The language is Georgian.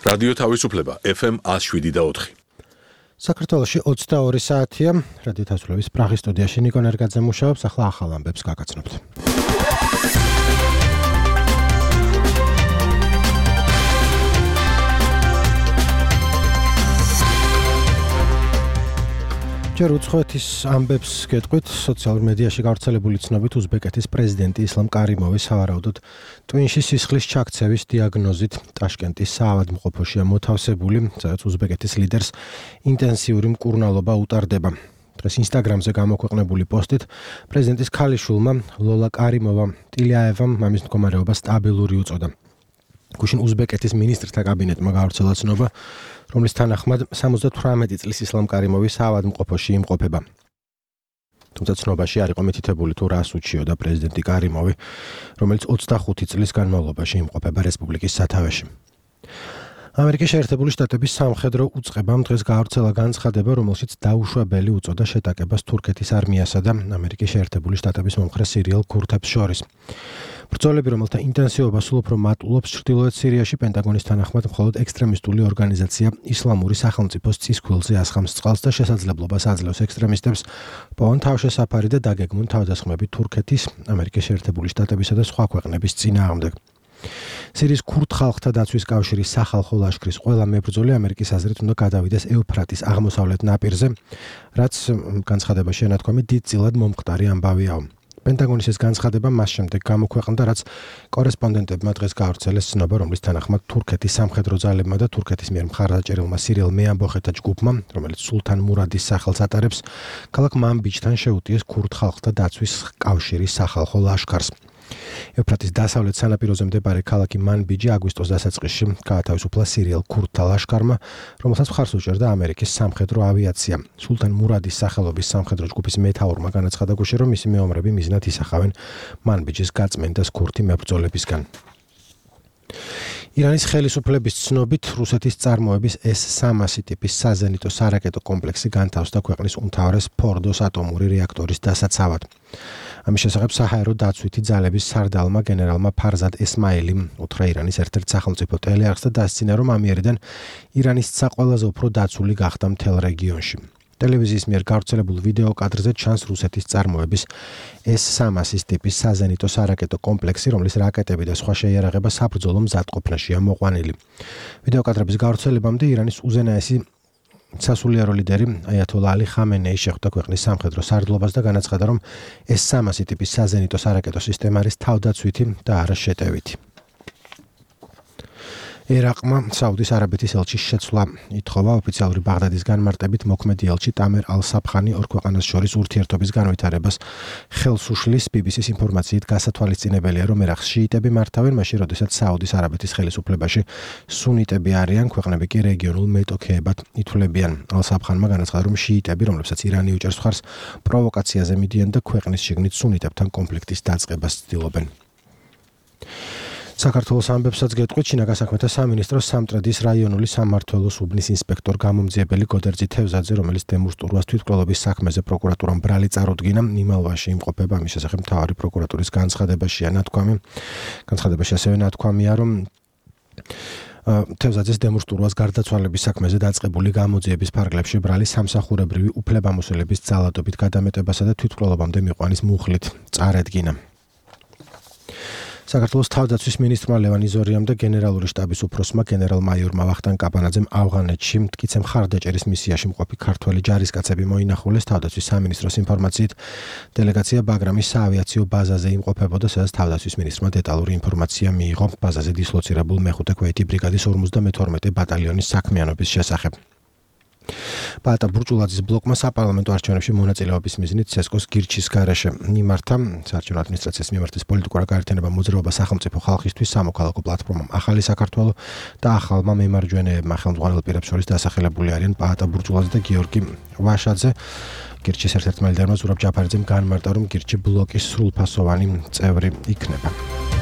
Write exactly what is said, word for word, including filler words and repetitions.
რადიო თავისუფლება ეფ ემ one oh seven და four. საქართველოში ოცდაორი საათია. რადიო თავისუფლების პრაღის სტუდიაში ნიკო ნერგაძე მუშაობს. ახლა ახალ ამბებს გაგაცნობთ. ჯერ უცხოეთის ამბებს გეტყვით. სოციალურ მედიაში გავრცელებული ცნობით უზბეკეთის პრეზიდენტი ისლამ კარიმოვი სავარაუდოდ ტვინში სისხლის ჩაქცევის დიაგნოზით ტაშკენტის საავადმყოფოშია მოთავსებული, სადაც უზბეკეთის ლიდერს ინტენსიური მკურნალობა utardeba. დღეს ინსტაგრამზე გამოქვეყნებული პოსტით პრეზიდენტის ქალიშვილმა ლოლა კარიმოვამ ტილიაევამ მამის მდგომარეობა სტაბილური უწოდა. გუშინ უზბეკეთის მინისტრთა კაბინეტმა გავრცელა ცნობა, რომლის თანახმად სამოცდათვრამეტი წლის ისლამ კარიმოვი საავადმყოფოში იმყოფება. თუმცა ცნობაში არ იყო მითითებული თუ რას უჩიოდა პრეზიდენტი კარიმოვი, რომელიც ოცდახუთი წლის განმავლობაში იმყოფება რესპუბლიკის სათავეში. ამერიკის შეერთებული შტატების სამხედრო უწყებამ დღეს გავრცელა განცხადება, რომელშიც დაუშვებელი უწოდა შეტაკებას თურქეთის არმიასა და ამერიკის შეერთებული შტატების მომხრე სირიელ ქურთებს შორის. ბრძოლები, რომელთა ინტენსივობა სულ უფრო მატულობს ჩრდილოეთ სირიაში, პენტაგონის თანახმად მხოლოდ ექსტრემისტული ორგანიზაცია ისლამური სახელმწიფოს წისქვილზე ასხამს წყალს და შესაძლებლობას აძლევს ექსტრემისტებს პოვონ თავშესაფარი და დაგეგმონ თავდასხმები თურქეთის, ამერიკის შეერთებული შტატებისა და სხვა ქვეყნების წინააღმდეგ. სირიის ქურთ ხალხთა დაცვის კავშირის სახალხო ლაშქრის ყველა მებრძოლი ამერიკის აზრით უნდა გადავიდეს ეუფრატის აღმოსავლეთ ნაპირზე, რაც განცხადებაში ენათქვამი დიდწილად მომხდარი ამბავიაო. პენტაგონის ეს განცხადება მას შემდეგ გამოქვეყნდა, რაც კორესპონდენტებმა დღეს გავრცელეს ცნობა, რომლის თანახმად თურქეთის სამხედრო ძალებმა და თურქეთის მიერ მხარდაჭერილმა სირიელ მეამბოხეთა ჯგუფმა, რომელიც სულთან მურადის სახელს ატარებს, ქალაქ მანბიჯთან შეუტიეს ქურთ ხალხთა დაცვის კავშირის სახალხო ლაშქარს. ეუფრატის დასავლეთ სანაპიროზე მდებარე ქალაქი მანბიჯი აგვისტოს დასაწყისში გაათავისუფლა სირიელ ქურთთა ლაშქარმა, რომელსაც მხარს უჭერდა ამერიკის სამხედრო ავიაცია. სულთან მურადის სახელობის სამხედრო ჯგუფის მეთაურმა განაცხადა გუშინ, რომ მისი მეომრები მიზნად ისახავენ მანბიჯის გაწმენდას ქურთი მებრძოლებისგან. ირანის ხელისუფლების ცნობით რუსეთის წარმოების ეს სამასი ტიპის საზენიტო სარაკეტო კომპლექსი განთავსდა ქვეყნის უმთავრეს ფორდოს ატომური რეაქტორის დასაცავად. ამის შესახებ საჰაერო დაცვითი ძალების სარდალმა გენერალმა ფარზად ესმაილიმ უთხრა ირანის ერთ-ერთ სახელმწიფო ტელეარხს და დასცინა, რომ ამიერიდან ირანის ცა ყველაზე უფრო დაცული გახდა მთელ რეგიონში. ტელევიზიის მიერ გავრცელებულ ვიდეო კადრზე ჩანს რუსეთის წარმოების ეს სამასის ტიპის საზენიტო სარაკეტო კომპლექსი, რომლის რაკეტები და სხვა შეიარაღება საბრძოლო მზადყოფნაშია მოყვანილი. ვიდეო კადრების გავრცელებამდე ირანის უზენაესი სასულიერო ლიდერი აიათოლა ალი ხამენეი შეხვდა ქვეყნის სამხედრო სარდლობას და განაცხადა, რომ ეს სამასი ტიპის საზენიტო სარაკეტო სისტემა არის თავდაცვითი და არა შეტევითი. ერაყმა საუდის არაბეთის ელჩის შეცვლა ითხოვა. ოფიციალური ბაღდადის განმარტებით მოქმედი ელჩი ტამერ ალ-საფხანი ორ ქვეყანას შორის ურთიერთობის განვითარებას ხელს უშლის. ბი ბი სის ინფორმაციით გასათვალისწინებელია, რომ ერაყს შიიტები მართავენ, მაშინ როდესაც საუდის არაბეთის ხელისუფლებაში სუნიტები არიან, ქვეყნები კი რეგიონულ მეტოქეებად ითვლებიან. ალ-საფხანმა განაცხადა, რომ შიიტები, რომლებსაც ირანი უჭერს მხარს, პროვოკაციაზე მიდიან და ქვეყნის შიგნით სუნიტებთან კონფლიქტის დაწყებას ცდილობენ. საქართველოს ამბებსაც გეტყვით. შინაგან საქმეთა სამინისტროს სამტრედის რაიონული სამმართველოს უბნის ინსპექტორ გამომძიებელი გოდერძი თევზაძე, რომელიც დემურსტურვას თვითმკვლელობის საქმეზე პროკურატურამ ბრალი წარუდგინა, იმალვაში იმყოფება. ამის შესახებ მთავარი პროკურატურის განცხადებაშია ნათქვამი. განცხადებაში ასევე ნათქვამია, რომ თევზაძეს დემურსტურვას გარდაცვალების საქმეზე დაწყებული გამოძიების ფარგლებში ბრალი სამსახურებრივი უფლებამოსილების ძალადობით გადამეტებასა და თვითმკვლელობამდე მიყვანის მუხლით წარედგინა. საქართველოს თავდაცვის მინისტრმა ლევან იზორიამ და გენერალური შტაბის უფროსმა გენერალ-მაიორმა ვახტანგ კაპანაძემ ავღანეთში მტკიცე მხარდაჭერის მისიაში მყოფი ქართველი ჯარისკაცები მოინახულეს. თავდაცვის სამინისტროს ინფორმაციით დელეგაცია ბაგრამის საავიაციო ბაზაზე იმყოფებოდა, სადაც თავდაცვის მინისტრმა დეტალური ინფორმაცია მიიღო ბაზაზე დისლოცირებულ მეხუთე ქვეითი ბრიგადის ორმოცდამეთორმეტე ბატალიონის საქმიანობის შესახებ. პაატა ბურჭულაძის ბლოკმა საპარლამენტო არჩევნებში მონაწილეობის მიზნით ცესკოს გირჩის გარეშე მიმართა. საარჩევნო ადმინისტრაციის მიმართის პოლიტიკურ გაერთიანება მოძრაობა სახელმწიფო ხალხისთვის სამოქალაქო პლატფორმამ ახალი საქართველო და ახალმა მემარჯვენეებმა ხელმძღვანელ პირებს შორის დასახელებული არიან პაატა ბურჭულაძე და გიორგი ვაშაძე. გირჩის ერთ-ერთმა ლიდერმა ზურაბ ჯაფარიძემ განმარტა, რომ გირჩი ბლოკის სრულფასოვანი წევრი იქნება.